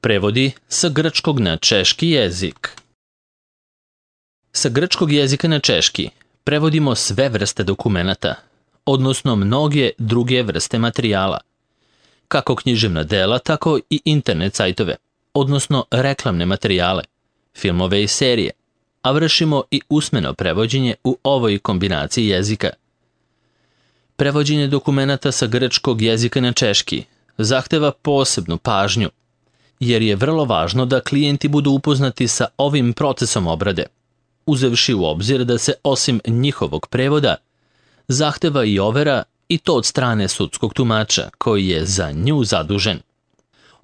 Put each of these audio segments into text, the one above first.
Prevodi sa grčkog na češki jezik. Sa grčkog jezika na češki prevodimo sve vrste dokumenata, odnosno mnoge druge vrste materijala, kako književna dela, tako i internet sajtove, odnosno reklamne materijale, filmove i serije, a vršimo i usmeno prevođenje u ovoj kombinaciji jezika. Prevođenje dokumenata sa grčkog jezika na češki zahteva posebnu pažnju, jer je vrlo važno da klijenti budu upoznati sa ovim procesom obrade, uzevši u obzir da se osim njihovog prevoda zahteva i overa, i to od strane sudskog tumača koji je za nju zadužen.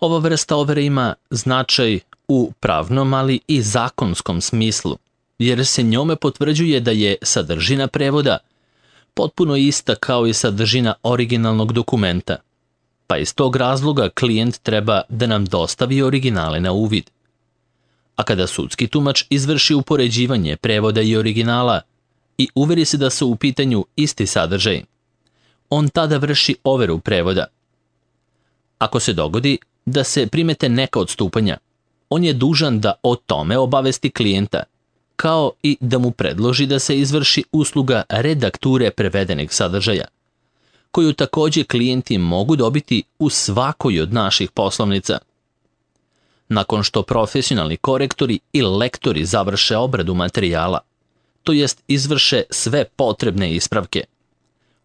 Ova vrsta overe ima značaj u pravnom, ali i zakonskom smislu, jer se njome potvrđuje da je sadržina prevoda potpuno ista kao i sadržina originalnog dokumenta, pa iz tog razloga klijent treba da nam dostavi originale na uvid. A kada sudski tumač izvrši upoređivanje prevoda i originala i uveri se da su u pitanju isti sadržaj, on tada vrši overu prevoda. Ako se dogodi da se primete neka odstupanja, on je dužan da o tome obavesti klijenta, kao i da mu predloži da se izvrši usluga redakture prevedenih sadržaja, koju takođe klijenti mogu dobiti u svakoj od naših poslovnica. Nakon što profesionalni korektori i lektori završe obradu materijala, to jest izvrše sve potrebne ispravke,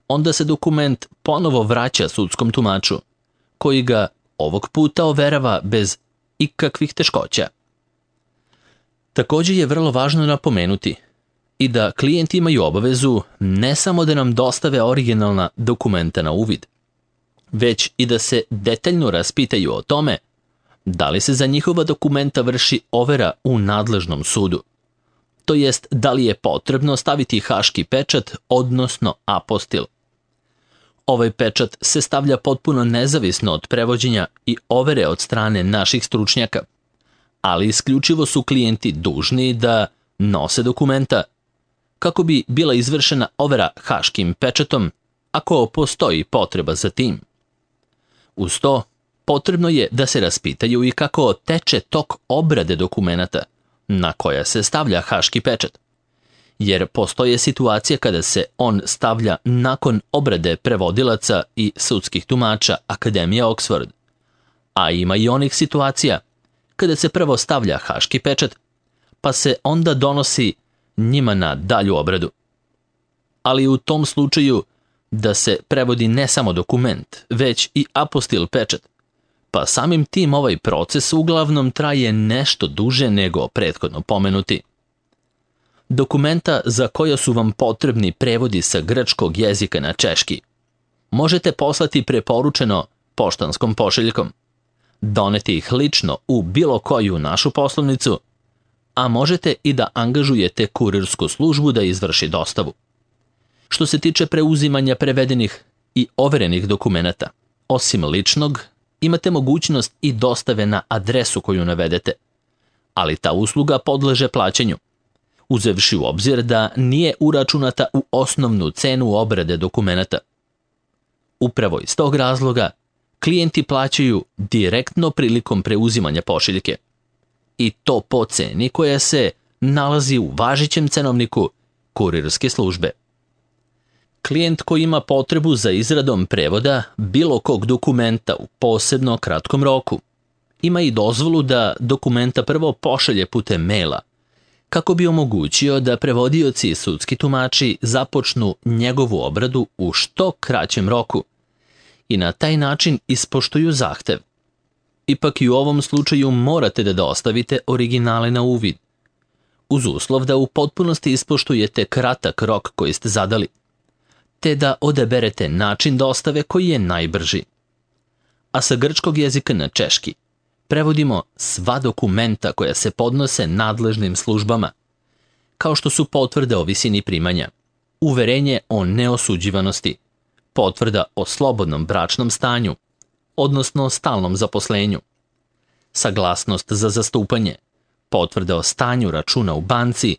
onda se dokument ponovo vraća sudskom tumaču, koji ga ovog puta overava bez ikakvih teškoća. Takođe je vrlo važno napomenuti i da klijenti imaju obavezu ne samo da nam dostave originalna dokumenta na uvid, već i da se detaljno raspitaju o tome da li se za njihova dokumenta vrši overa u nadležnom sudu, to jest da li je potrebno staviti haški pečat, odnosno apostil. Ovaj pečat se stavlja potpuno nezavisno od prevođenja i overe od strane naših stručnjaka, ali isključivo su klijenti dužni da nose dokumenta kako bi bila izvršena overa haškim pečatom ako postoji potreba za tim. Uz to, potrebno je da se raspitaju i kako teče tok obrade dokumenata na koja se stavlja haški pečat, jer postoje situacije kada se on stavlja nakon obrade prevodilaca i sudskih tumača Akademije Oxford, a ima i onih situacija kada se prvo stavlja haški pečat, pa se onda donosi njima na dalju obradu. Ali u tom slučaju da se prevodi ne samo dokument, već i apostil pečat, pa samim tim ovaj proces uglavnom traje nešto duže nego prethodno pomenuti. Dokumenta za koja su vam potrebni prevodi sa grčkog jezika na češki možete poslati preporučeno poštanskom pošiljkom, doneti ih lično u bilo koju našu poslovnicu, a možete i da angažujete kurirsku službu da izvrši dostavu. Što se tiče preuzimanja prevedenih i overenih dokumenata, osim ličnog, imate mogućnost i dostave na adresu koju navedete, ali ta usluga podleže plaćanju, uzevši u obzir da nije uračunata u osnovnu cenu obrade dokumenata. Upravo iz tog razloga, klijenti plaćaju direktno prilikom preuzimanja pošiljke, i to po ceni koja se nalazi u važećem cenovniku kurirske službe. Klijent koji ima potrebu za izradom prevoda bilo kog dokumenta u posebno kratkom roku ima i dozvolu da dokumenta prvo pošalje putem maila, kako bi omogućio da prevodioci i sudski tumači započnu njegovu obradu u što kraćem roku i na taj način ispoštuju zahtev. Ipak i u ovom slučaju morate da dostavite originale na uvid, uz uslov da u potpunosti ispoštujete kratak rok koji ste zadali, te da odaberete način dostave koji je najbrži. A sa grčkog jezika na češki prevodimo sva dokumenta koja se podnose nadležnim službama, kao što su potvrde o visini primanja, uverenje o neosuđivanosti, potvrda o slobodnom bračnom stanju, odnosno stalnom zaposlenju, saglasnost za zastupanje, potvrda o stanju računa u banci,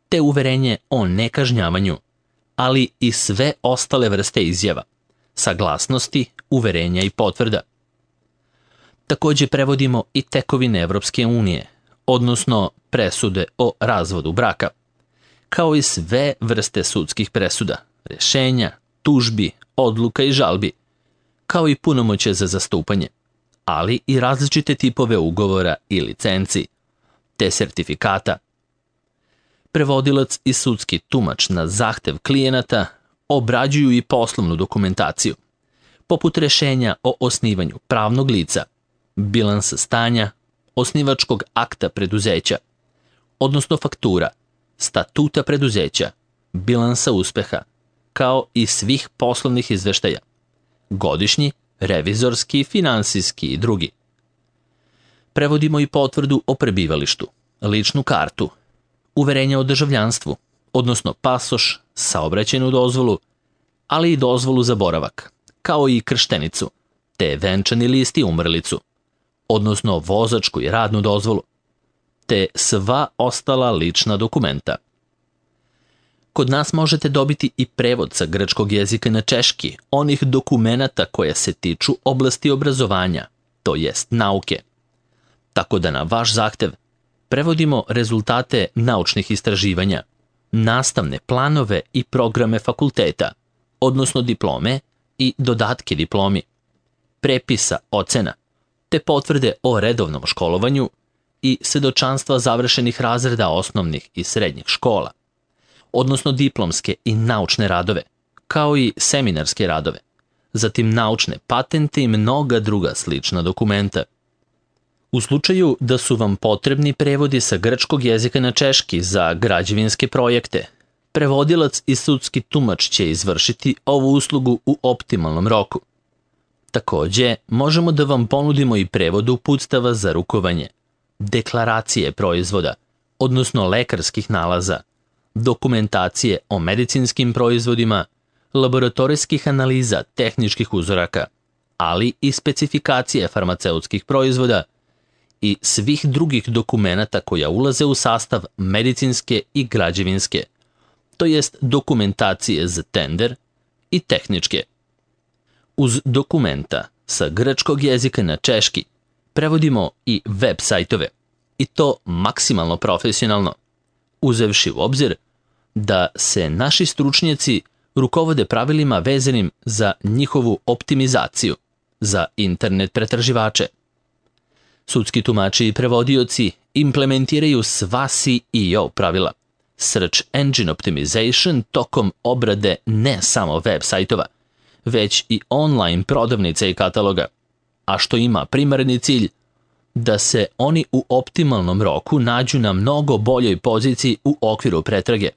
te uverenje o nekažnjavanju, ali i sve ostale vrste izjava, saglasnosti, uverenja i potvrda. Takođe prevodimo i tekovine Evropske unije, odnosno presude o razvodu braka, kao i sve vrste sudskih presuda, rešenja, tužbi, odluka i žalbi, kao i punomoćje za zastupanje, ali i različite tipove ugovora i licenci, te sertifikata. Prevodilac i sudski tumač na zahtev klijenata obrađuju i poslovnu dokumentaciju, poput rešenja o osnivanju pravnog lica, bilansa stanja, osnivačkog akta preduzeća, odnosno faktura, statuta preduzeća, bilansa uspeha, kao i svih poslovnih izveštaja, godišnji, revizorski, finansijski i drugi. Prevodimo i potvrdu o prebivalištu, ličnu kartu, uverenje o državljanstvu, odnosno pasoš, saobraćajnu dozvolu, ali i dozvolu za boravak, kao i krštenicu, te venčani list i umrlicu, odnosno vozačku i radnu dozvolu, te sva ostala lična dokumenta. Kod nas možete dobiti i prevod sa grčkog jezika na češki onih dokumenata koja se tiču oblasti obrazovanja, to jest nauke. Tako da na vaš zahtev prevodimo rezultate naučnih istraživanja, nastavne planove i programe fakulteta, odnosno diplome i dodatke diplomi, prepisa ocena, te potvrde o redovnom školovanju i svedočanstva završenih razreda osnovnih i srednjih škola, odnosno diplomske i naučne radove, kao i seminarske radove, zatim naučne patente i mnoga druga slična dokumenta. U slučaju da su vam potrebni prevodi sa grčkog jezika na češki za građevinske projekte, prevodilac i sudski tumač će izvršiti ovu uslugu u optimalnom roku. Takođe, možemo da vam ponudimo i prevod uputstava za rukovanje, deklaracije proizvoda, odnosno lekarskih nalaza, dokumentacije o medicinskim proizvodima, laboratorijskih analiza tehničkih uzoraka, ali i specifikacije farmaceutskih proizvoda i svih drugih dokumenata koja ulaze u sastav medicinske i građevinske, to jest dokumentacije za tender i tehničke. Uz dokumenta sa grčkog jezika na češki prevodimo i web sajtove, i to maksimalno profesionalno, uzevši u obzir da se naši stručnjaci rukovode pravilima vezanim za njihovu optimizaciju, za internet pretraživače. Sudski tumači i prevodioci implementiraju sva SEO pravila, Search Engine Optimization, tokom obrade ne samo web sajtova, već i online prodavnice i kataloga, a što ima primarni cilj da se oni u optimalnom roku nađu na mnogo boljoj poziciji u okviru pretrage,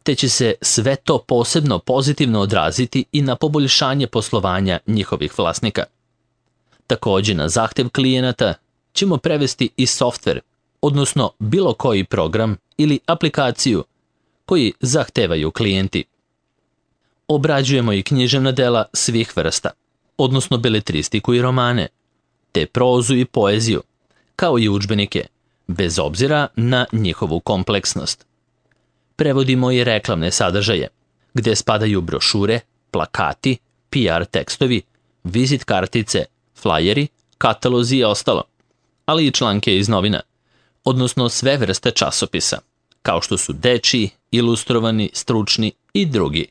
te će se sve to posebno pozitivno odraziti i na poboljšanje poslovanja njihovih vlasnika. Takođe, na zahtev klijenata ćemo prevesti i softver, odnosno bilo koji program ili aplikaciju koji zahtevaju klijenti. Obrađujemo i književna dela svih vrsta, odnosno beletristiku i romane, te prozu i poeziju, kao i udžbenike, bez obzira na njihovu kompleksnost. Prevodimo i reklamne sadržaje, gde spadaju brošure, plakati, PR tekstovi, vizit kartice, flajeri, katalozi i ostalo, ali i članke iz novina, odnosno sve vrste časopisa, kao što su dečiji, ilustrovani, stručni i drugi.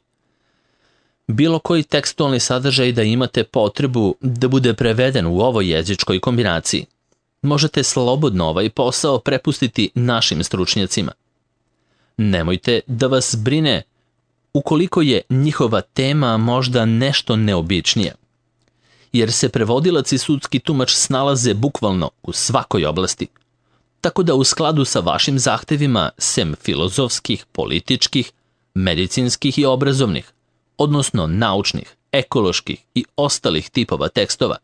Bilo koji tekstualni sadržaj da imate potrebu da bude preveden u ovoj jezičkoj kombinaciji, možete slobodno ovaj posao prepustiti našim stručnjacima. Nemojte da vas brine ukoliko je njihova tema možda nešto neobičnija, jer se prevodilac i sudski tumač snalaze bukvalno u svakoj oblasti, tako da u skladu sa vašim zahtevima, sem filozofskih, političkih, medicinskih i obrazovnih, odnosno naučnih, ekoloških i ostalih tipova tekstova,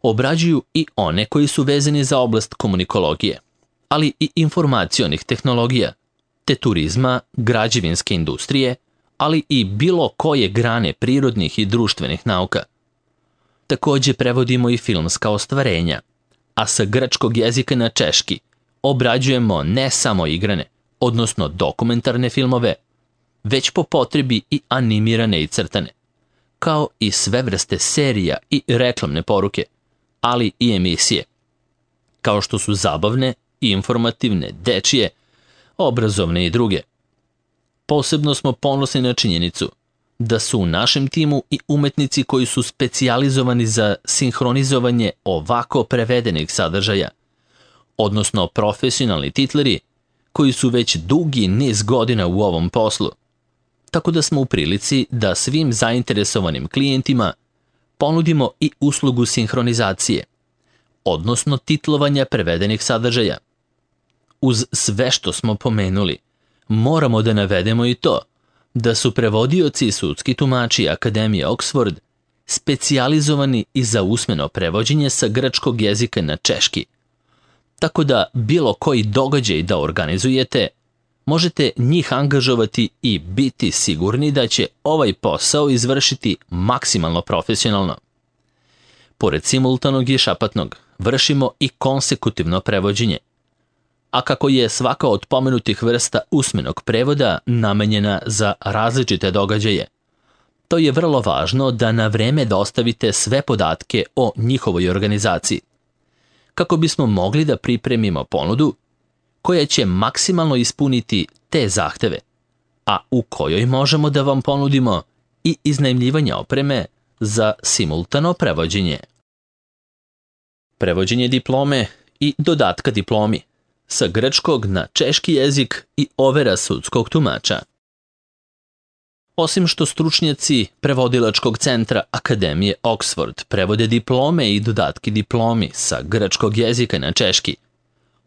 obrađuju i one koji su vezani za oblast komunikologije, ali i informacionih tehnologija, te turizma, građevinske industrije, ali i bilo koje grane prirodnih i društvenih nauka. Takođe prevodimo i filmska ostvarenja, a sa grčkog jezika na češki obrađujemo ne samo igrane, odnosno dokumentarne filmove, već po potrebi i animirane i crtane, kao i sve vrste serija i reklamne poruke, ali i emisije, kao što su zabavne, informativne, dečije, obrazovne i druge. Posebno smo ponosni na činjenicu da su u našem timu i umetnici koji su specijalizovani za sinhronizovanje ovako prevedenih sadržaja, odnosno profesionalni titleri koji su već dugi niz godina u ovom poslu, tako da smo u prilici da svim zainteresovanim klijentima ponudimo i uslugu sinhronizacije, odnosno titlovanja prevedenih sadržaja. Uz sve što smo pomenuli, moramo da navedemo i to da su prevodioci i sudski tumači Akademije Oxford specijalizovani i za usmeno prevođenje sa grčkog jezika na češki, tako da bilo koji događaj da organizujete, možete njih angažovati i biti sigurni da će ovaj posao izvršiti maksimalno profesionalno. Pored simultanog i šapatnog, vršimo i konsekutivno prevođenje. A kako je svaka od pomenutih vrsta usmenog prevoda namenjena za različite događaje, to je vrlo važno da na vreme dostavite sve podatke o njihovoj organizaciji, kako bismo mogli da pripremimo ponudu koja će maksimalno ispuniti te zahteve, a u kojoj možemo da vam ponudimo i iznajmljivanje opreme za simultano prevođenje. Prevođenje diplome i dodatka diplomi sa grčkog na češki jezik i overa sudskog tumača. Osim što stručnjaci prevodilačkog centra Akademije Oxford prevode diplome i dodatki diplomi sa grčkog jezika na češki,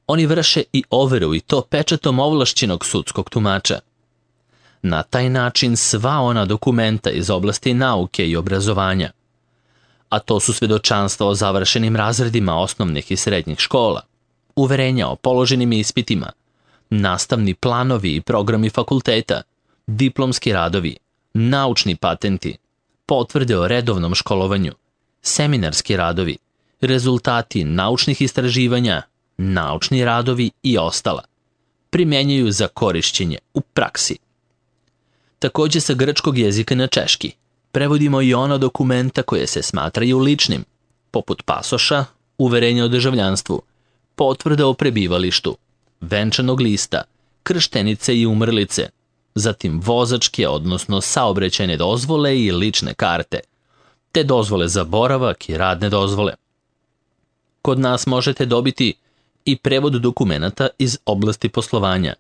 oni vrše i overu i to pečatom ovlašćenog sudskog tumača. Na taj način sva ona dokumenta iz oblasti nauke i obrazovanja, a to su svedočanstva o završenim razredima osnovnih i srednjih škola, uverenja o položenim ispitima, nastavni planovi i programi fakulteta, diplomski radovi, naučni patenti, potvrde o redovnom školovanju, seminarski radovi, rezultati naučnih istraživanja, naučni radovi i ostala, primenjuju za korišćenje u praksi. Takođe sa grčkog jezika na češki prevodimo i ona dokumenta koje se smatraju ličnim, poput pasoša, uverenja o državljanstvu, potvrda o prebivalištu, venčanog lista, krštenice i umrlice, zatim vozačke, odnosno saobraćajne dozvole i lične karte, te dozvole za boravak i radne dozvole. Kod nas možete dobiti i prevod dokumenata iz oblasti poslovanja,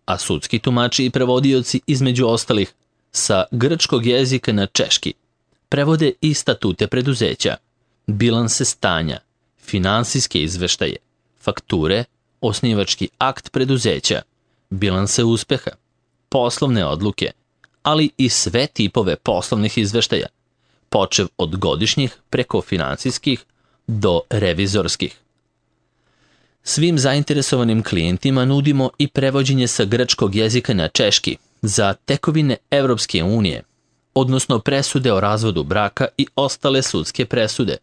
a sudski tumači i prevodioci između ostalih sa grčkog jezika na češki prevode i statute preduzeća, bilanse stanja, finansijske izveštaje, fakture, osnivački akt preduzeća, bilanse uspeha, poslovne odluke, ali i sve tipove poslovnih izveštaja, počev od godišnjih preko finansijskih do revizorskih. Svim zainteresovanim klijentima nudimo i prevođenje sa grčkog jezika na češki za tekovine Evropske unije, odnosno presude o razvodu braka i ostale sudske presude,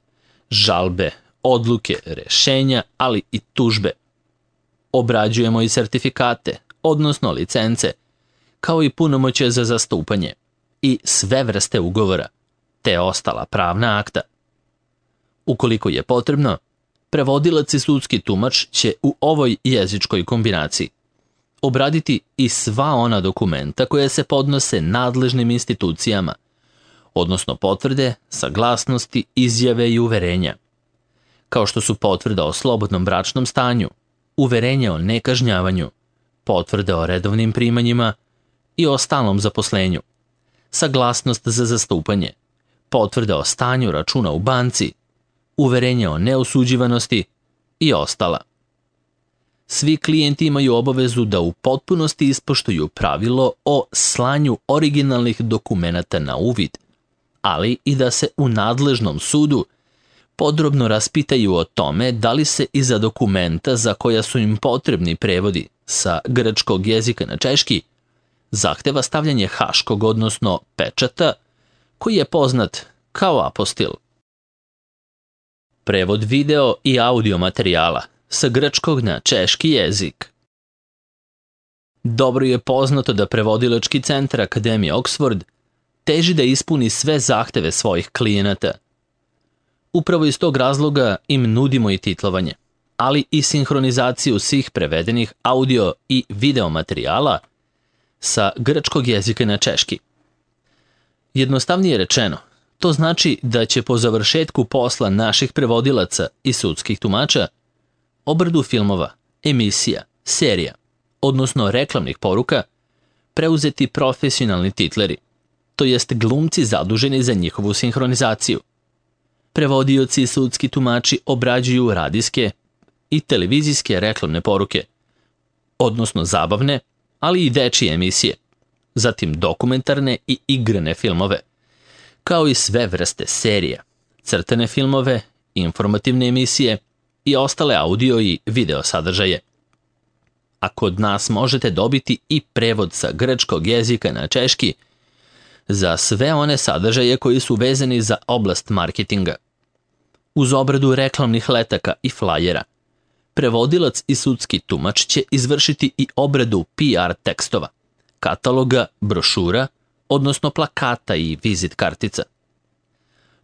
žalbe, odluke, rešenja, ali i tužbe. Obrađujemo i sertifikate, odnosno licence, kao i punomoćje za zastupanje i sve vrste ugovora, te ostala pravna akta. Ukoliko je potrebno, prevodilac i sudski tumač će u ovoj jezičkoj kombinaciji obraditi i sva ona dokumenta koja se podnose nadležnim institucijama, odnosno potvrde, saglasnosti, izjave i uverenja, kao što su potvrda o slobodnom bračnom stanju, uverenje o nekažnjavanju, potvrda o redovnim primanjima i o stalnom zaposlenju, saglasnost za zastupanje, potvrda o stanju računa u banci, uverenje o neosuđivanosti i ostala. Svi klijenti imaju obavezu da u potpunosti ispoštuju pravilo o slanju originalnih dokumenata na uvid, ali i da se u nadležnom sudu podrobno raspitaju o tome da li se iza dokumenta za koja su im potrebni prevodi sa grčkog jezika na češki zahteva stavljanje haškog, odnosno pečata, koji je poznat kao apostil. Prevod video i audio materijala sa grčkog na češki jezik. Dobro je poznato da prevodilački centar Akademije Oxford teži da ispuni sve zahteve svojih klijenata. Upravo iz tog razloga im nudimo i titlovanje, ali i sinhronizaciju svih prevedenih audio i video materijala sa grčkog jezika na češki. Jednostavnije rečeno, to znači da će po završetku posla naših prevodilaca i sudskih tumača obradu filmova, emisija, serija, odnosno reklamnih poruka, preuzeti profesionalni titleri, to jest glumci zaduženi za njihovu sinhronizaciju. Prevodioci i sudski tumači obrađuju radijske i televizijske reklamne poruke, odnosno zabavne, ali i dečije emisije, zatim dokumentarne i igrane filmove, kao i sve vrste serija, crtane filmove, informativne emisije i ostale audio i video sadržaje. A kod nas možete dobiti i prevod sa grčkog jezika na češki za sve one sadržaje koji su vezani za oblast marketinga. Uz obradu reklamnih letaka i flajera, prevodilac i sudski tumač će izvršiti i obradu PR tekstova, kataloga, brošura, odnosno plakata i vizit kartica.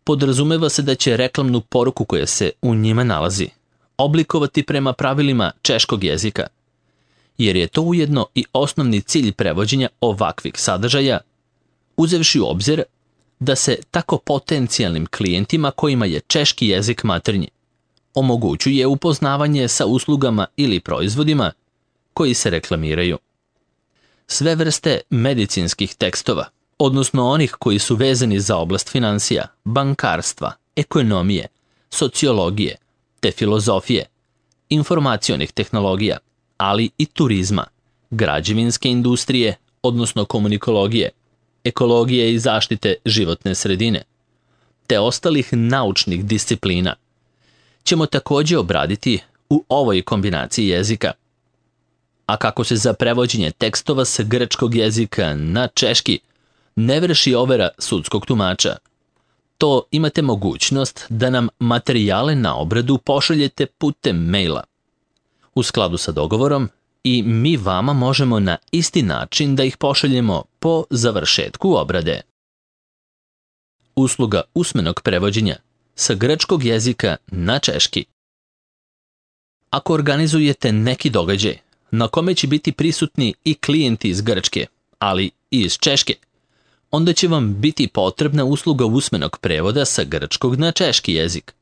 Podrazumeva se da će reklamnu poruku koja se u njima nalazi oblikovati prema pravilima češkog jezika, jer je to ujedno i osnovni cilj prevođenja ovakvih sadržaja, uzevši u obzir da se tako potencijalnim klijentima kojima je češki jezik maternji omogućuje upoznavanje sa uslugama ili proizvodima koji se reklamiraju. Sve vrste medicinskih tekstova, odnosno onih koji su vezani za oblast financija, bankarstva, ekonomije, sociologije, te filozofije, informacionih tehnologija, ali i turizma, građevinske industrije, odnosno komunikologije, ekologije i zaštite životne sredine, te ostalih naučnih disciplina, ćemo također obraditi u ovoj kombinaciji jezika. A kako se za prevođenje tekstova sa grčkog jezika na češki ne vrši overa sudskog tumača, to imate mogućnost da nam materijale na obradu pošaljete putem maila. U skladu sa dogovorom, i mi vama možemo na isti način da ih pošaljemo po završetku obrade. Usluga usmenog prevođenja sa grčkog jezika na češki. Ako organizujete neki događaj na kome će biti prisutni i klijenti iz Grčke, ali i iz Češke, onda će vam biti potrebna usluga usmenog prevoda sa grčkog na češki jezik.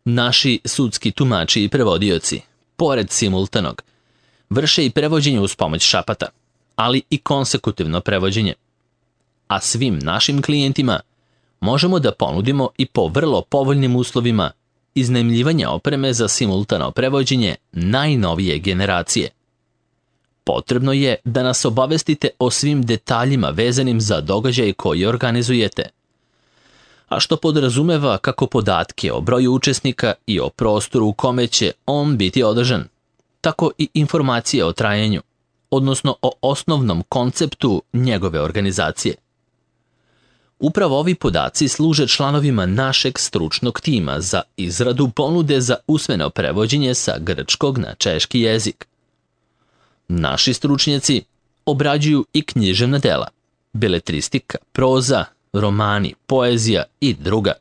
Naši sudski tumači i prevodioci, pored simultanog, vrše i prevođenje uz pomoć šapata, ali i konsekutivno prevođenje. A svim našim klijentima možemo da ponudimo i po vrlo povoljnim uslovima iznajmljivanja opreme za simultano prevođenje najnovije generacije. Potrebno je da nas obavestite o svim detaljima vezanim za događaj koji organizujete, a što podrazumeva kako podatke o broju učesnika i o prostoru u kome će on biti održan, tako i informacije o trajanju, odnosno o osnovnom konceptu njegove organizacije. Upravo ovi podaci služe članovima našeg stručnog tima za izradu ponude za usmeno prevođenje sa grčkog na češki jezik. Naši stručnjaci obrađuju i književna dela, beletristika, proza, romani, poezija i druga,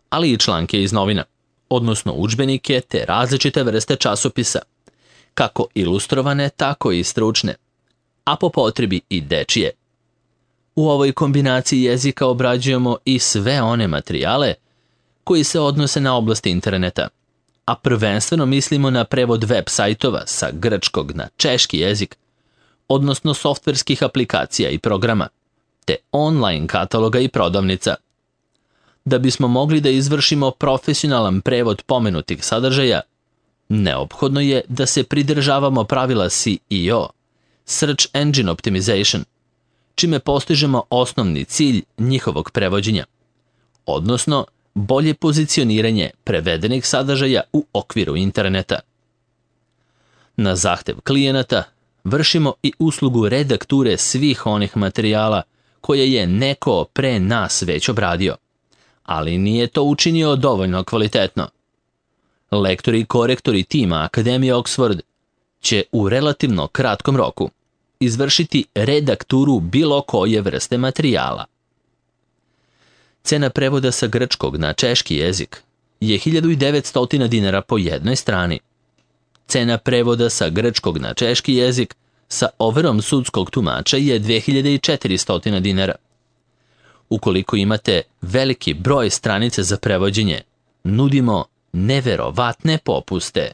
ali i članke iz novina, odnosno udžbenike te različite vrste časopisa, kako ilustrovane, tako i stručne, a po potrebi i dečije. U ovoj kombinaciji jezika obrađujemo i sve one materijale koji se odnose na oblast interneta, a prvenstveno mislimo na prevod web sajtova sa grčkog na češki jezik, odnosno softverskih aplikacija i programa, te online kataloga i prodavnica. Da bismo mogli da izvršimo profesionalan prevod pomenutih sadržaja, neophodno je da se pridržavamo pravila SEO, Search Engine Optimization, čime postižemo osnovni cilj njihovog prevođenja, odnosno bolje pozicioniranje prevedenih sadržaja u okviru interneta. Na zahtev klijenata vršimo i uslugu redakture svih onih materijala koje je neko pre nas već obradio, ali nije to učinio dovoljno kvalitetno. Lektori i korektori tima Akademije Oxford će u relativno kratkom roku izvršiti redakturu bilo koje vrste materijala. Cena prevoda sa grčkog na češki jezik je 1900 dinara po jednoj strani. Cena prevoda sa grčkog na češki jezik sa overom sudskog tumača je 2400 dinara. Ukoliko imate veliki broj stranica za prevođenje, nudimo neverovatne popuste.